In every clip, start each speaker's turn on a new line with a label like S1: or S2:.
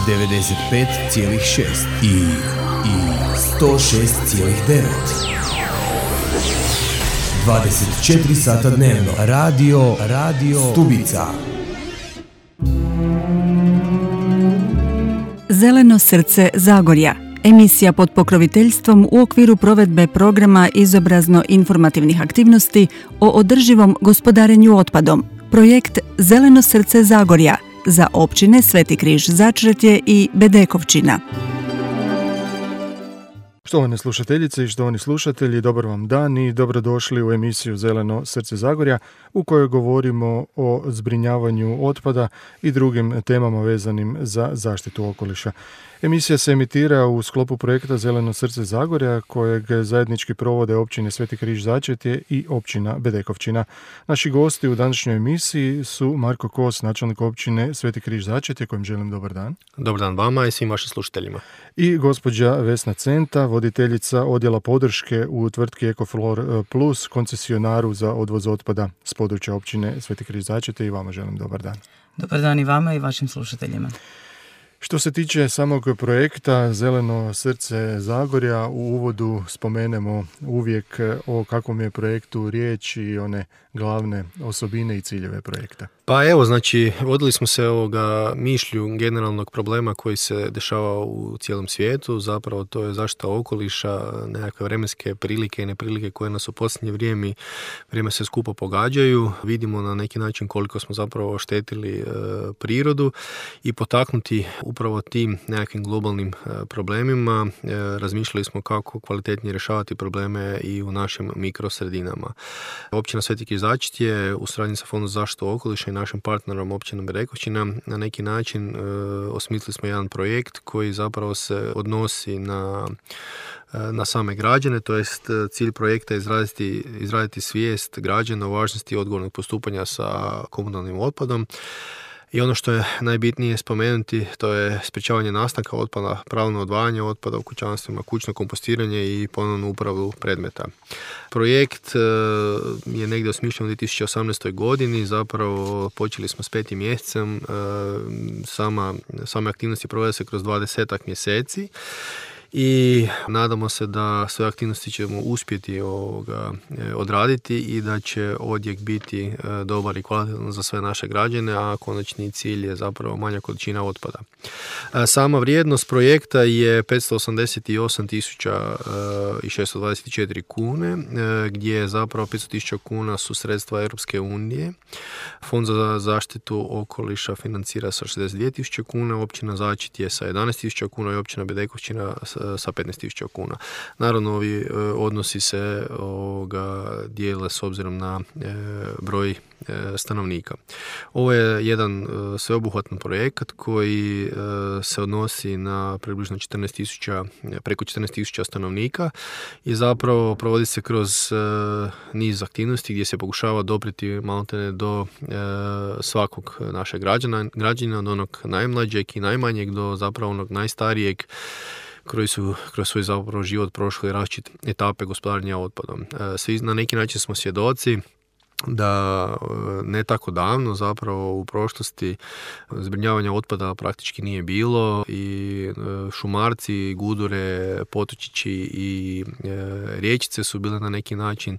S1: 95,6 i 106,9. 24 sata dnevno. Radio Stubica.
S2: Zeleno srce Zagorja. Emisija pod pokroviteljstvom u okviru provedbe programa izobrazno-informativnih aktivnosti o održivom gospodarenju otpadom. Projekt Zeleno srce Zagorja za općine Sveti Križ Začretje i Bedekovčina.
S3: Štovane slušateljice i štovani slušatelji, dobar vam dan i dobrodošli u emisiju Zeleno srce Zagorja u kojoj govorimo o zbrinjavanju otpada i drugim temama vezanim za zaštitu okoliša. Emisija se emitira u sklopu projekta Zeleno srce Zagorja kojeg zajednički provode općine Sveti Križ Začretje i općina Bedekovčina. Naši gosti u današnjoj emisiji su Marko Kos, načelnik općine Sveti Križ Začretje, kojem želim dobar dan.
S4: Dobar dan vama i svim vašim slušateljima.
S3: I gospođa Vesna Centa, voditeljica odjela podrške u tvrtki Ecoflor Plus, koncesionaru za odvoz otpada s područja općine Sveti Križ Začretje, i vama želim dobar dan.
S5: Dobar dan i vama i vašim slušateljima.
S3: Što se tiče samog projekta Zeleno srce Zagorja, u uvodu spomenemo uvijek o kakvom je projektu riječ i one glavne osobine i ciljeve projekta.
S4: Pa evo, znači, vodili smo se mišlju generalnog problema koji se dešava u cijelom svijetu, zapravo to je zaštita okoliša, nekakve vremenske prilike i neprilike koje nas u posljednje vrijeme se skupo pogađaju. Vidimo na neki način koliko smo zapravo oštetili prirodu i potaknuti upravo tim nekakvim globalnim problemima. Razmišljali smo kako kvalitetnije rješavati probleme i u našim mikrosredinama. Općina Sveti Križ Začretje u suradnji sa Fondom za zaštitu okoliša i našim partnerom općinom Bedekovčina na neki način osmislili smo jedan projekt koji zapravo se odnosi na same građane, to jest cilj projekta je izraditi svijest građana o važnosti odgovornog postupanja sa komunalnim otpadom. I ono što je najbitnije spomenuti, to je sprječavanje nastanka otpada, pravilno odvajanje otpada u kućanstvima, kućno kompostiranje i ponovnu uporabu predmeta. Projekt je negdje osmišljen u 2018. godini, zapravo počeli smo s 5. mjesecem, same aktivnosti provode se kroz 20 mjeseci. I nadamo se da sve aktivnosti ćemo uspjeti odraditi i da će odjek biti dobar i kvalitetan za sve naše građane, a konačni cilj je zapravo manja količina otpada. Sama vrijednost projekta je 588.624 kune, gdje zapravo 500.000 kuna su sredstva Europske unije. Fond za zaštitu okoliša financira sa 62.000 kuna, općina Začretje sa 11.000 kuna i općina Bedekovčina sa 15.000 kuna. Naravno, ovi odnosi se dijele s obzirom na broj stanovnika. Ovo je jedan sveobuhvatan projekat koji se odnosi na približno preko 14.000 stanovnika i zapravo provodi se kroz niz aktivnosti gdje se pokušava doprijeti maltene do svakog našeg građanina, od onog najmlađeg i najmanjeg do zapravo onog najstarijeg koji su kroz svoj zapravo život prošli različite etape gospodarenja otpadom. Svi na neki način smo svjedoci da ne tako davno zapravo u prošlosti zbrinjavanja otpada praktički nije bilo i šumarci, gudure, potočići i riječice su bile na neki način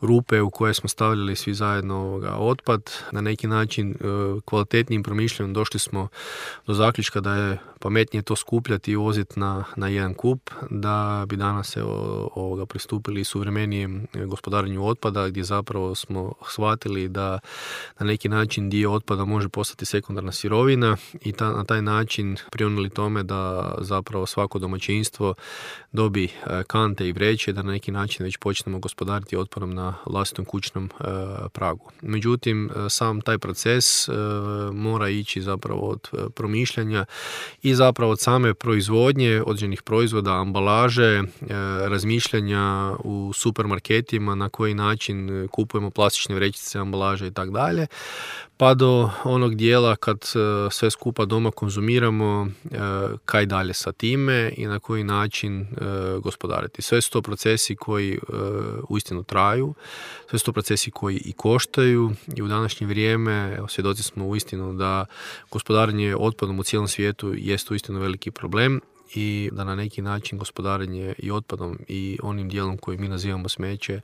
S4: rupe u koje smo stavljali svi zajedno otpad. Na neki način kvalitetnijim promišljanjem došli smo do zaključka da je pametnije to skupljati i voziti na jedan kup, da bi danas pristupili suvremenijem gospodarenju otpada gdje zapravo smo shvatili da na neki način dio otpada može postati sekundarna sirovina i na taj način prionuli tome da zapravo svako domaćinstvo dobi kante i vreće, da na neki način već počnemo gospodariti otpadom na vlastitom kućnom pragu. Međutim, sam taj proces mora ići zapravo od promišljanja i zapravo od same proizvodnje određenih proizvoda, ambalaže, razmišljanja u supermarketima na koji način kupujemo plastične vrećice, ambalaže i tako dalje, pa do onog dijela kad sve skupa doma konzumiramo, kaj dalje sa time i na koji način gospodariti. Sve su to procesi koji uistinu traju, sve su to procesi koji i koštaju i u današnje vrijeme svjedoci smo uistinu da gospodarenje otpadom u cijelom svijetu jest uistinu veliki problem i da na neki način gospodarenje i otpadom i onim dijelom koji mi nazivamo smeće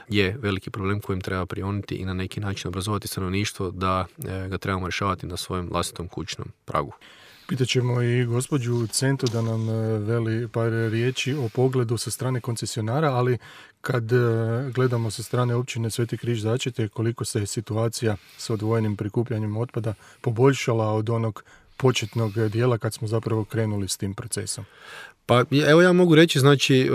S4: je veliki problem kojim treba prioniti i na neki način obrazovati stanovništvo da ga trebamo rješavati na svojem vlastitom kućnom pragu.
S3: Pitat ćemo i gospođu Centu da nam veli par riječi o pogledu sa strane koncesionara, ali kad gledamo sa strane općine Sveti Križ Začretje, koliko se situacija s odvojenim prikupljanjem otpada poboljšala od onog početnog dijela kad smo zapravo krenuli s tim procesom?
S4: Pa evo ja mogu reći, znači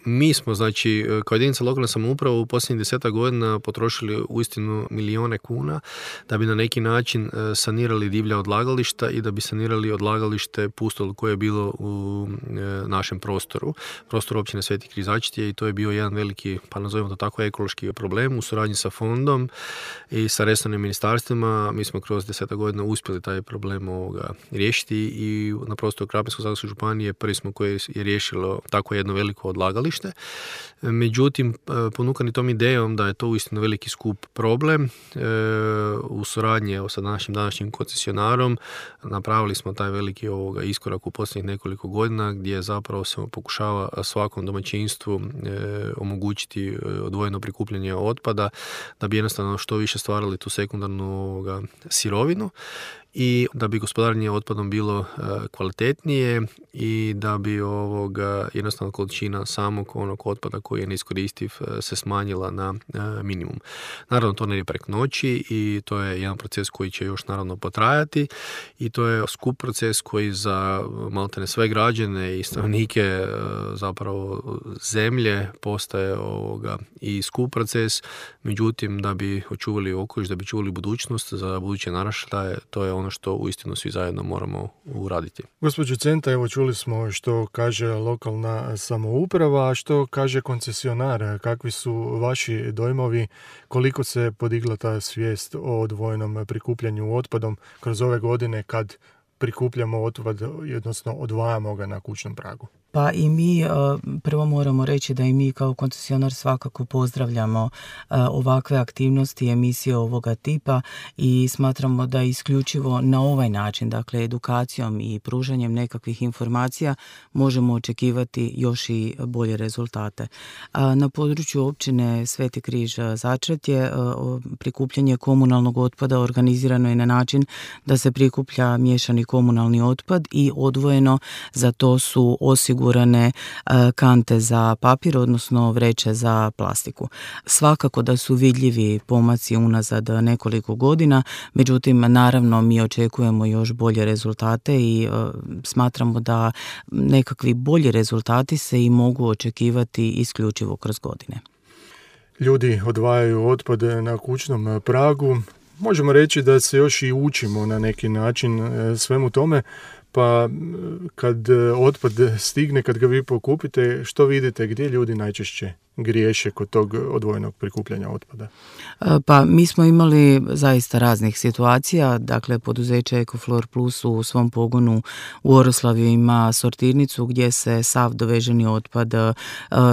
S4: mi smo, znači, kao jedinica lokalne samouprave u posljednjih 10 godina potrošili uistinu milijune kuna da bi na neki način sanirali divlja odlagališta i da bi sanirali odlagalište Pustol koje je bilo u našem prostoru općine Sveti Križ Začretje i to je bio jedan veliki, pa nazovimo to tako, ekološki problem u suradnji sa fondom i sa resornim ministarstvima. Mi smo kroz 10 godina uspjeli taj problem riješiti i na prostoru Krapinsko-zagorske županije prvi smo koji je riješilo tako jedno veliko odlagalište. Međutim, ponukani tom idejom da je to uistinu veliki skup problem, u suradnji sa današnjim koncesionarom napravili smo taj veliki iskorak u posljednjih nekoliko godina gdje zapravo se pokušava svakom domaćinstvu omogućiti odvojeno prikupljanje otpada da bi jednostavno što više stvarali tu sekundarnu sirovinu i da bi gospodarenje otpadom bilo kvalitetnije i da bi jednostavno količina samog onog otpada koji je neiskoristiv se smanjila na minimum. Naravno, to ne je preko noći i to je jedan proces koji će još naravno potrajati i to je skup proces koji za maltene sve građane i stanovnike zapravo zemlje postaje i skup proces. Međutim, da bi očuvali okoliš, da bi čuvali budućnost za buduće naraštaje, to je ono što uistinu svi zajedno moramo uraditi.
S3: Gospođo Centa, evo čuli smo što kaže lokalna samouprava, a što kaže koncesionar. Kakvi su vaši dojmovi, koliko se podigla ta svijest o odvojenom prikupljanju otpadom kroz ove godine kad prikupljamo otpad, odnosno odvajamo ga na kućnom pragu?
S5: Pa i mi prvo moramo reći da i mi kao koncesionar svakako pozdravljamo ovakve aktivnosti i emisije ovoga tipa i smatramo da isključivo na ovaj način, dakle edukacijom i pružanjem nekakvih informacija možemo očekivati još i bolje rezultate. Na području općine Sveti Križ Začretje prikupljanje komunalnog otpada organizirano je na način da se prikuplja miješani komunalni otpad i odvojeno za to su osigurane kante za papir, odnosno vreće za plastiku. Svakako da su vidljivi pomaci unazad nekoliko godina, međutim, naravno, mi očekujemo još bolje rezultate i smatramo da nekakvi bolji rezultati se i mogu očekivati isključivo kroz godine.
S3: Ljudi odvajaju otpad na kućnom pragu. Možemo reći da se još i učimo na neki način svemu tome. Pa kad otpad stigne, kad ga vi pokupite, što vidite, gdje ljudi najčešće griješe kod tog odvojenog prikupljanja otpada?
S5: Pa mi smo imali zaista raznih situacija. Dakle, poduzeće Ecoflor Plus u svom pogonu u Oroslavju ima sortirnicu gdje se sav doveženi otpad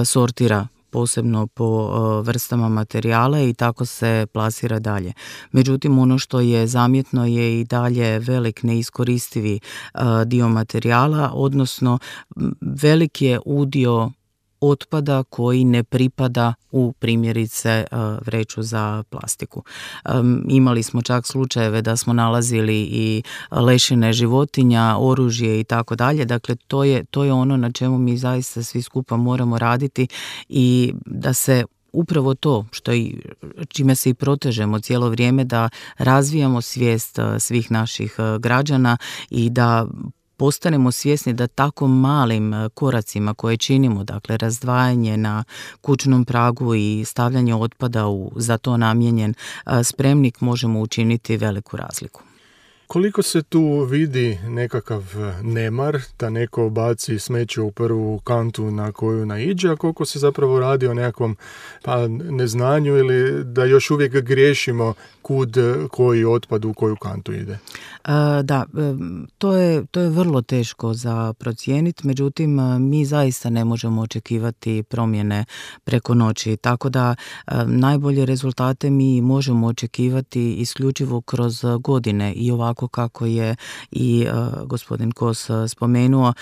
S5: sortira posebno po vrstama materijala i tako se plasira dalje. Međutim, ono što je zamjetno je i dalje velik neiskoristivi dio materijala, odnosno velik je udio otpada koji ne pripada u primjerice vreću za plastiku. Imali smo čak slučajeve da smo nalazili i lešine životinja, oružje i tako dalje. Dakle, to je ono na čemu mi zaista svi skupa moramo raditi i da se upravo to čime se i protežemo cijelo vrijeme, da razvijamo svijest svih naših građana i da postanemo svjesni da tako malim koracima koje činimo, dakle razdvajanje na kućnom pragu i stavljanje otpada u za to namijenjen spremnik, možemo učiniti veliku razliku.
S3: Koliko se tu vidi nekakav nemar, da neko baci smeće u prvu kantu na koju naiđe, a koliko se zapravo radi o nekakvom neznanju ili da još uvijek griješimo kud koji otpad u koju kantu ide?
S5: Da, to je vrlo teško za procijeniti, međutim mi zaista ne možemo očekivati promjene preko noći, tako da najbolje rezultate mi možemo očekivati isključivo kroz godine i ovako kako je i gospodin Kos spomenuo,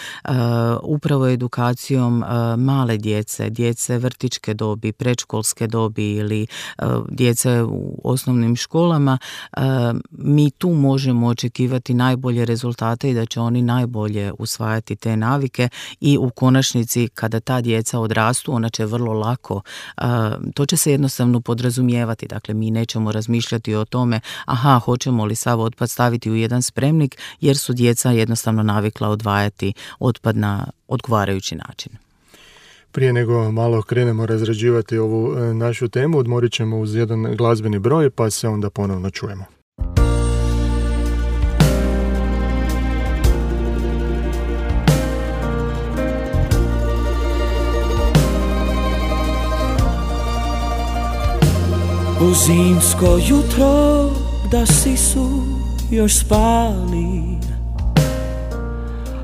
S5: upravo edukacijom male djece vrtićke dobi, predškolske dobi ili djece u osnovnim školama, mi tu možemo očekivati najbolje rezultate i da će oni najbolje usvajati te navike i u konačnici kada ta djeca odrastu, ona će vrlo lako, to će se jednostavno podrazumijevati, dakle mi nećemo razmišljati o tome hoćemo li sav otpad staviti u jedan spremnik jer su djeca jednostavno navikla odvajati otpad na odgovarajući način.
S3: Prije nego malo krenemo razrađivati ovu našu temu, odmorit ćemo uz jedan glazbeni broj pa se onda ponovno čujemo.
S6: U zimsko jutro da sisu još spali,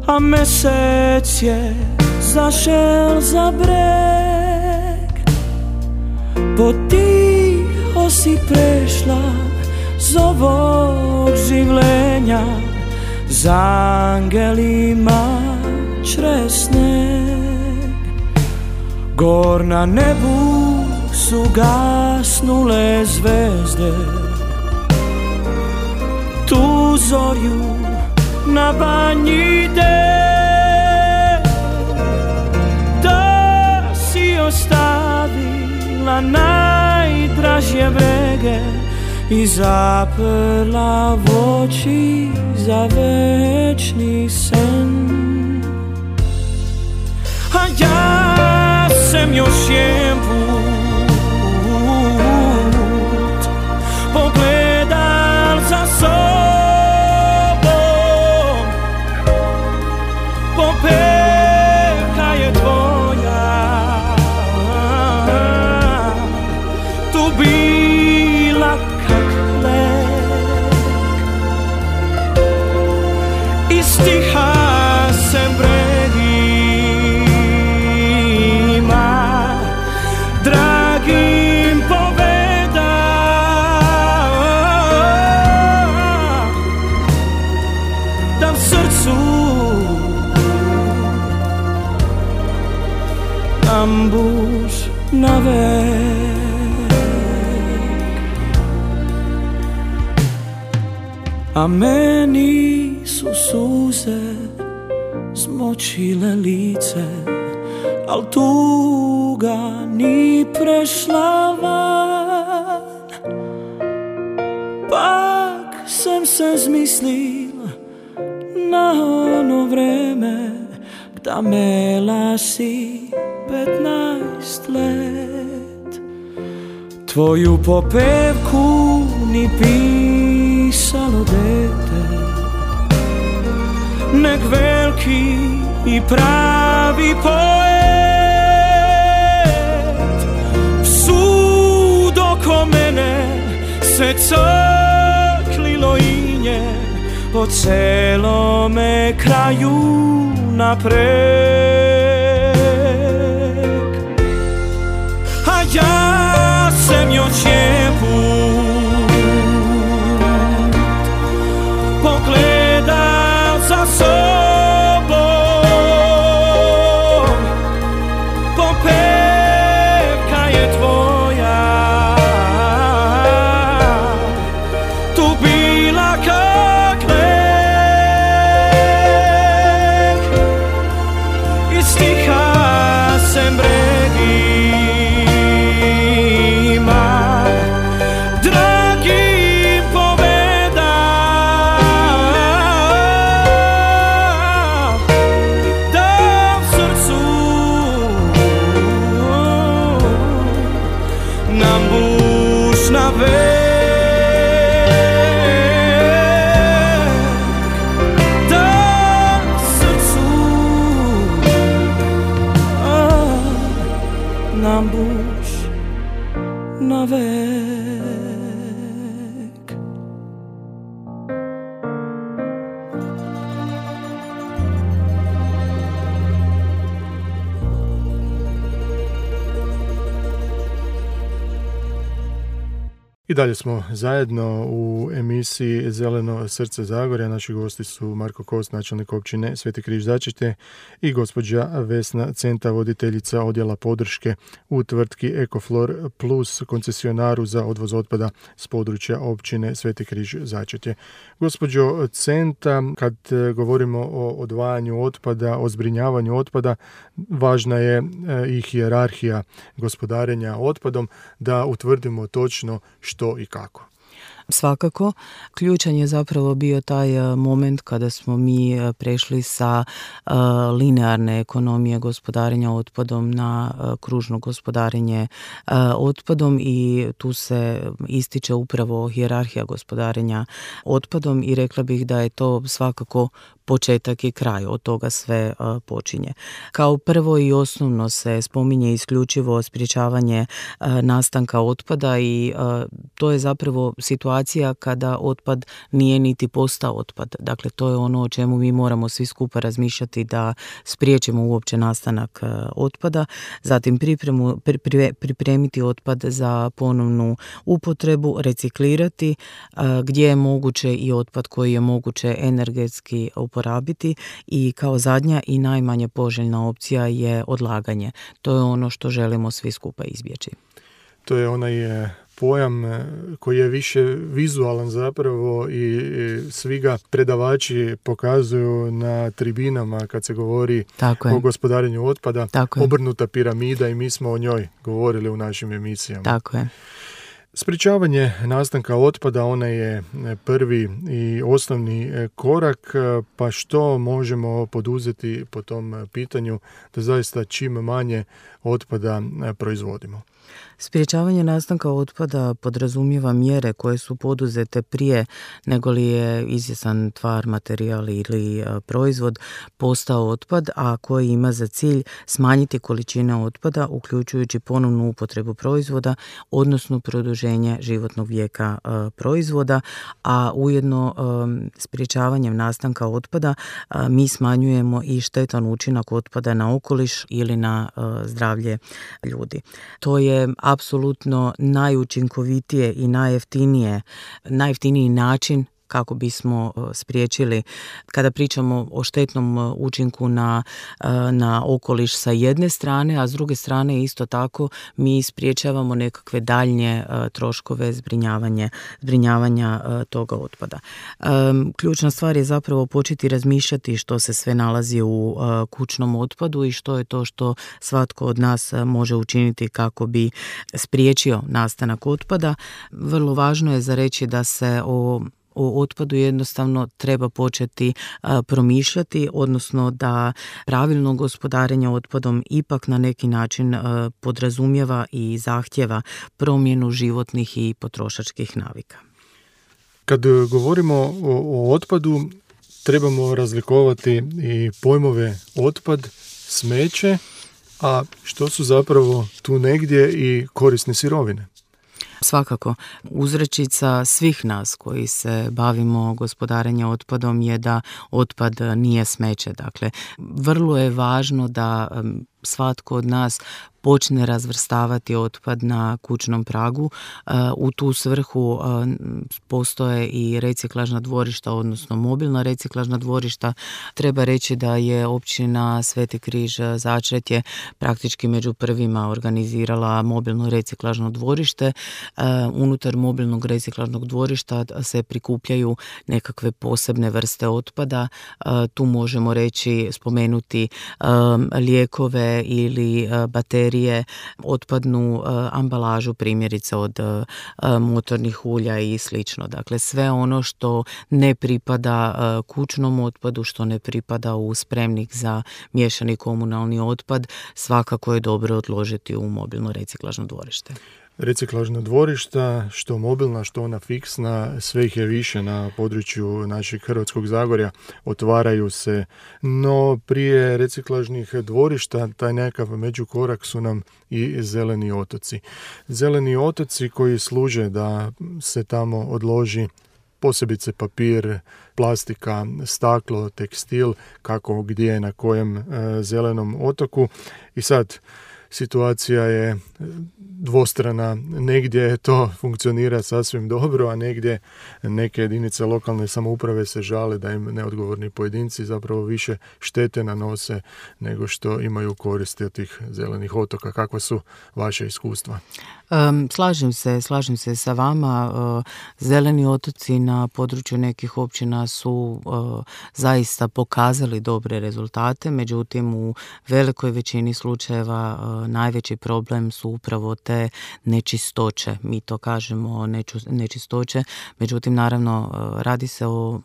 S6: a mesec je zašel za breg, potiho si prešla z ovog življenja, za angelima čez sneg. Gor na nebu su gasnule zvezde, tu zorju na banji de, da si ostavila najdražje brege i zaprla v oči za večni sen. A ja sam još jedan pogledal za sobom, popevka je tvoja tu bila kak lek, i stiha sem bregima dragim ambuš na vek. A meni su suze zmočile lice, al tuga ni prešla van. Pak sem se zmislil na ono vreme, da mela si 15 let. Tvoju popevku ni pisalo dete, nek veliki i pravi poet. Psud oko mene se crklilo inje, po celome kraju napred. A ja sam još jebut pogledal za sobom, popevka je tvoja tu bila kak lek, i stiha sem bregima
S3: I dalje smo zajedno u emisiji Zeleno srce Zagorja. Naši gosti su Marko Kost, načelnik općine Sveti Križ Začete, i gospođa Vesna Centa, voditeljica odjela podrške u tvrtki Ecoflor Plus, koncesionaru za odvoz otpada s područja općine Sveti Križ Začete. Gospođo Centa, kad govorimo o odvajanju otpada, o zbrinjavanju otpada, važna je i hijerarhija gospodarenja otpadom, da utvrdimo točno što i kako.
S5: Svakako, ključan je zapravo bio taj moment kada smo mi prešli sa linearne ekonomije gospodarenja otpadom na kružno gospodarenje otpadom, i tu se ističe upravo hijerarhija gospodarenja otpadom i rekla bih da je to svakako početak i kraj, od toga sve počinje. Kao prvo i osnovno se spominje isključivo sprječavanje nastanka otpada, i to je zapravo situacija kada otpad nije niti postao otpad. Dakle, to je ono o čemu mi moramo svi skupa razmišljati, da spriječimo uopće nastanak otpada, zatim pripremiti otpad za ponovnu upotrebu, reciklirati gdje je moguće i otpad koji je moguće energetski uporabiti, i kao zadnja i najmanje poželjna opcija je odlaganje. To je ono što želimo svi skupa izbjeći.
S3: To je onaj pojam koji je više vizualan zapravo, i svi ga predavači pokazuju na tribinama kad se govori o gospodarenju otpada. Obrnuta piramida, i mi smo o njoj govorili u našim emisijama.
S5: Tako je.
S3: Sprječavanje nastanka otpada, onaj je prvi i osnovni korak, pa što možemo poduzeti po tom pitanju da zaista čim manje otpada proizvodimo?
S5: Sprječavanje nastanka otpada podrazumijeva mjere koje su poduzete prije nego li je izvjestan tvar, materijal ili proizvod postao otpad, a koji ima za cilj smanjiti količine otpada, uključujući ponovnu upotrebu proizvoda, odnosno produženje životnog vijeka proizvoda, a ujedno sprječavanjem nastanka otpada mi smanjujemo i štetan učinak otpada na okoliš ili na zdravlje ljudi. To je apsolutno najučinkovitije i najjeftiniji način kako bismo spriječili, kada pričamo o štetnom učinku na okoliš sa jedne strane, a s druge strane isto tako mi spriječavamo nekakve daljnje troškove zbrinjavanja toga otpada. Ključna stvar je zapravo početi razmišljati što se sve nalazi u kućnom otpadu i što je to što svatko od nas može učiniti kako bi spriječio nastanak otpada. Vrlo važno je za reći da se o otpadu jednostavno treba početi promišljati, odnosno da pravilno gospodarenje otpadom ipak na neki način podrazumijeva i zahtjeva promjenu životnih i potrošačkih navika.
S3: Kad govorimo o otpadu, trebamo razlikovati i pojmove otpad, smeće, a što su zapravo tu negdje i korisne sirovine.
S5: Svakako, uzrečica svih nas koji se bavimo gospodarenjem otpadom je da otpad nije smeće. Dakle, vrlo je važno da svatko od nas počne razvrstavati otpad na kućnom pragu. U tu svrhu postoje i reciklažna dvorišta, odnosno mobilna reciklažna dvorišta. Treba reći da je općina Sveti Križ Začretje praktički među prvima organizirala mobilno reciklažno dvorište. Unutar mobilnog reciklažnog dvorišta se prikupljaju nekakve posebne vrste otpada. Tu možemo spomenuti lijekove ili baterije, otpadnu ambalažu, primjerice od motornih ulja i slično. Dakle, sve ono što ne pripada kućnom otpadu, što ne pripada u spremnik za miješani komunalni otpad, svakako je dobro odložiti u mobilno reciklažno dvorište.
S3: Reciklažna dvorišta, što mobilna, što ona fiksna, sve ih je više na području našeg Hrvatskog Zagorja, otvaraju se. No prije reciklažnih dvorišta, taj nekakav međukorak su nam i zeleni otoci. Zeleni otoci koji služe da se tamo odloži posebice papir, plastika, staklo, tekstil, kako gdje, na kojem zelenom otoku. I sad situacija je dvostrana, negdje to funkcionira sasvim dobro, a negdje neke jedinice lokalne samouprave se žale da im neodgovorni pojedinci zapravo više štete nanose nego što imaju koristi od tih zelenih otoka. Kakva su vaše iskustva?
S5: Slažem se sa vama. Zeleni otoci na području nekih općina su zaista pokazali dobre rezultate, međutim u velikoj većini slučajeva najveći problem su upravo te nečistoće. Mi to kažemo nečistoće, međutim naravno radi se o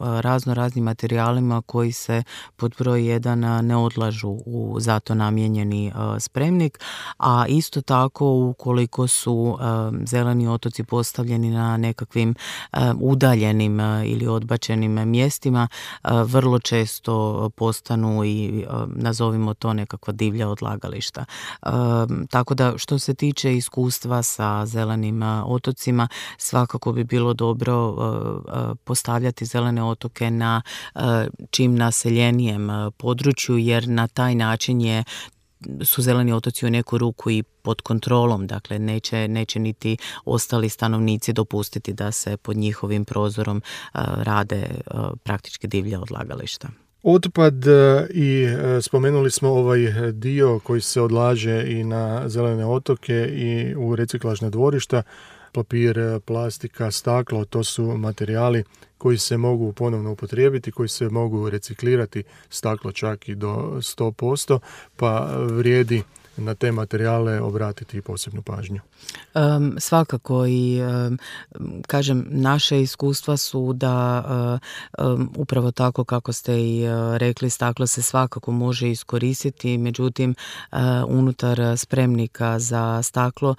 S5: raznim materijalima koji se pod broj 1 ne odlažu u zato namijenjeni spremnik, a isto tako ukoliko su zeleni otoci postavljeni na nekakvim udaljenim ili odbačenim mjestima, vrlo često postanu i nazovimo to nekakva divlja odlagališta. Tako da što se tiče iskustva sa zelenim otocima, svakako bi bilo dobro postavljati zelene otoke na čim naseljenijem području, jer na taj način su zeleni otoci u neku ruku i pod kontrolom, dakle neće niti ostali stanovnici dopustiti da se pod njihovim prozorom rade praktički divlja odlagališta.
S3: Otpad i spomenuli smo ovaj dio koji se odlaže i na zelene otoke i u reciklažna dvorišta. Papir, plastika, staklo, to su materijali koji se mogu ponovno upotrijebiti, koji se mogu reciklirati, staklo čak i do 100%, pa vrijedi na te materijale obratiti posebnu pažnju.
S5: Svakako i kažem, naše iskustva su da upravo tako kako ste i rekli, staklo se svakako može iskoristiti, međutim unutar spremnika za staklo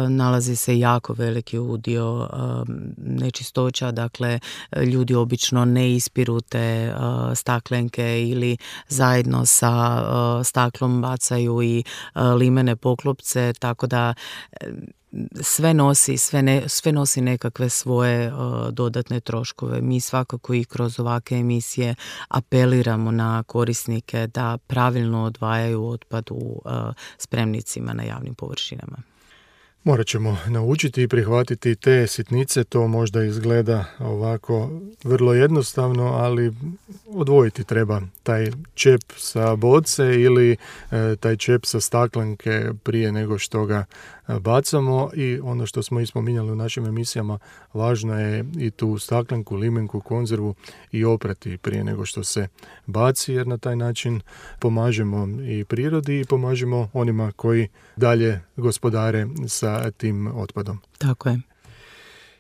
S5: nalazi se jako veliki udio nečistoća, dakle ljudi obično ne ispiru te staklenke ili zajedno sa staklom bacaju i limene poklopce, tako da sve nosi nekakve svoje dodatne troškove. Mi svakako i kroz ovakve emisije apeliramo na korisnike da pravilno odvajaju otpad u spremnicima na javnim površinama.
S3: Morat ćemo naučiti i prihvatiti te sitnice, to možda izgleda ovako vrlo jednostavno, ali odvojiti treba taj čep sa boce ili taj čep sa staklenke prije nego što ga bacamo. I ono što smo i spominjali u našim emisijama, važno je i tu staklenku, limenku, konzervu i oprati prije nego što se baci, jer na taj način pomažemo i prirodi i pomažemo onima koji dalje gospodare sa tim otpadom.
S5: Tako je.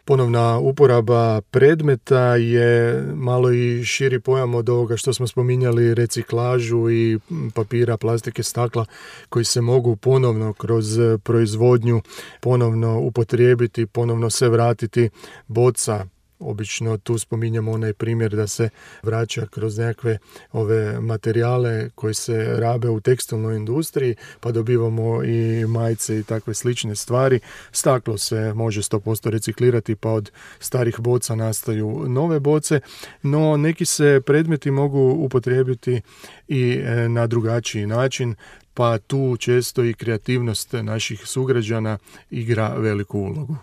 S3: Ponovna uporaba predmeta je malo i širi pojam od ovoga što smo spominjali, reciklažu i papira, plastike, stakla koji se mogu ponovno kroz proizvodnju ponovno upotrijebiti, ponovno se vratiti. Boca, obično tu spominjamo onaj primjer da se vraća kroz nekakve ove materijale koji se rabe u tekstilnoj industriji, pa dobivamo i majice i takve slične stvari. Staklo se može 100% reciklirati, pa od starih boca nastaju nove boce, no neki se predmeti mogu upotrijebiti i na drugačiji način, pa tu često i kreativnost naših sugrađana igra veliku ulogu.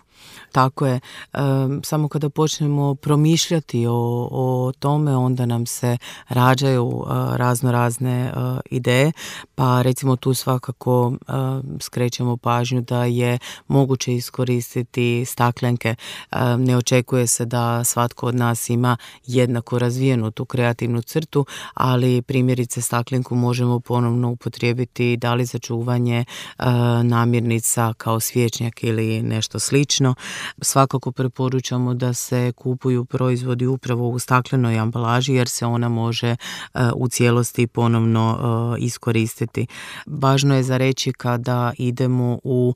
S5: Tako je. Samo kada počnemo promišljati o tome, onda nam se rađaju razne ideje, pa recimo tu svakako skrećemo pažnju da je moguće iskoristiti staklenke. Ne očekuje se da svatko od nas ima jednako razvijenu tu kreativnu crtu, ali primjerice staklenku možemo ponovno upotrijebiti da li za čuvanje namirnica kao svječnjak ili nešto slično. Svakako preporučamo da se kupuju proizvodi upravo u staklenoj ambalaži, jer se ona može u cijelosti ponovno iskoristiti. Važno je za reći kada idemo u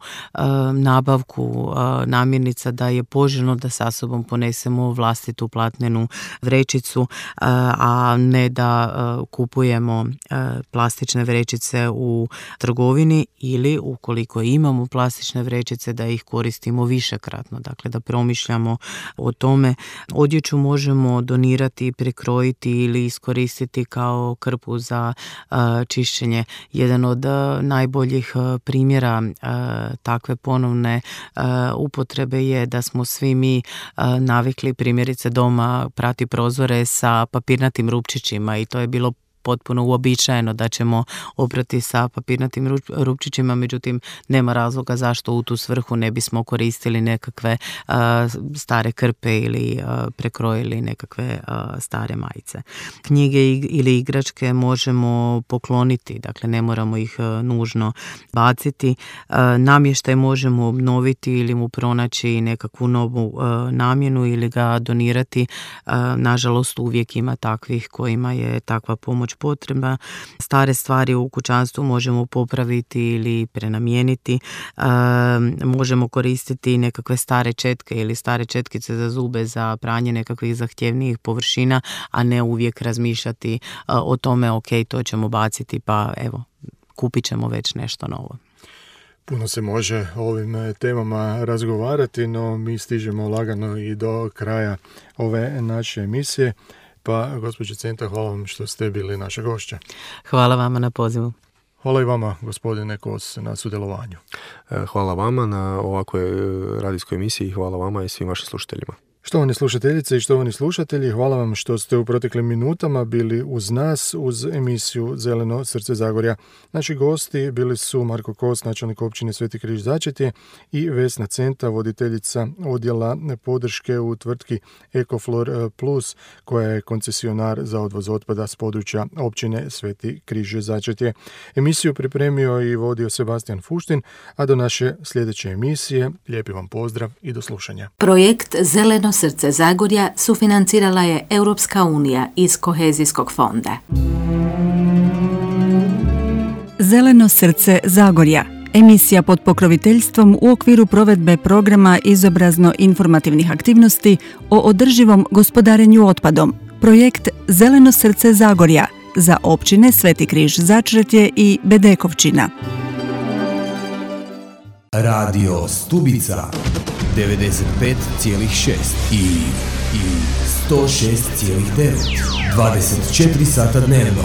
S5: nabavku namirnica da je poželjno da sa sobom ponesemo vlastitu platnenu vrećicu, a ne da kupujemo plastične vrećice u trgovini, ili ukoliko imamo plastične vrećice da ih koristimo više višekratno, dakle da promišljamo o tome. Odjeću možemo donirati i prekrojiti ili iskoristiti kao krpu za čišćenje. Jedan od najboljih primjera takve ponovne upotrebe je da smo svi mi navikli primjerice doma prati prozore sa papirnatim rupčićima i to je bilo potpuno uobičajeno da ćemo oprati sa papirnatim rupčićima, međutim nema razloga zašto u tu svrhu ne bismo koristili nekakve stare krpe ili prekrojili nekakve stare majice. Knjige ili igračke možemo pokloniti, dakle ne moramo ih nužno baciti. Namještaj možemo obnoviti ili mu pronaći nekakvu novu namjenu ili ga donirati. Nažalost uvijek ima takvih kojima je takva pomoć potrebna. Stare stvari u kućanstvu možemo popraviti ili prenamijeniti. Možemo koristiti nekakve stare četke ili stare četkice za zube za pranje nekakvih zahtjevnijih površina, a ne uvijek razmišljati o tome ok, to ćemo baciti pa evo, kupit ćemo već nešto novo.
S3: Puno se može o ovim temama razgovarati, no mi stižemo lagano i do kraja ove naše emisije. Pa, gospođo Centa, hvala vam što ste bili naša gošća.
S5: Hvala vama na pozivu.
S3: Hvala i vama, gospodine Kos, na sudjelovanju.
S4: Hvala vama na ovakvoj radijskoj emisiji i hvala vama i svim vašim slušateljima.
S3: Štovani slušateljice i štovani slušatelji, hvala vam što ste u proteklim minutama bili uz nas, uz emisiju Zeleno srce Zagorja. Naši gosti bili su Marko Kos, načelnik općine Sveti Križ Začetje i Vesna Centa, voditeljica odjela podrške u tvrtki Ecoflor Plus, koja je koncesionar za odvoz otpada s područja općine Sveti Križ Začetje. Emisiju pripremio i vodio Sebastian Fuštin, a do naše sljedeće emisije lijepi vam pozdrav i do slušanja.
S7: Projekt Zeleno srce Zagorja sufinancirala je Europska unija iz Kohezijskog fonda.
S2: Zeleno srce Zagorja. Emisija pod pokroviteljstvom u okviru provedbe programa izobrazno-informativnih aktivnosti o održivom gospodarenju otpadom. Projekt Zeleno srce Zagorja za općine Sveti Križ Začretje i Bedekovčina.
S1: Radio Stubica 95,6 i 106,9 24 sata dnevno.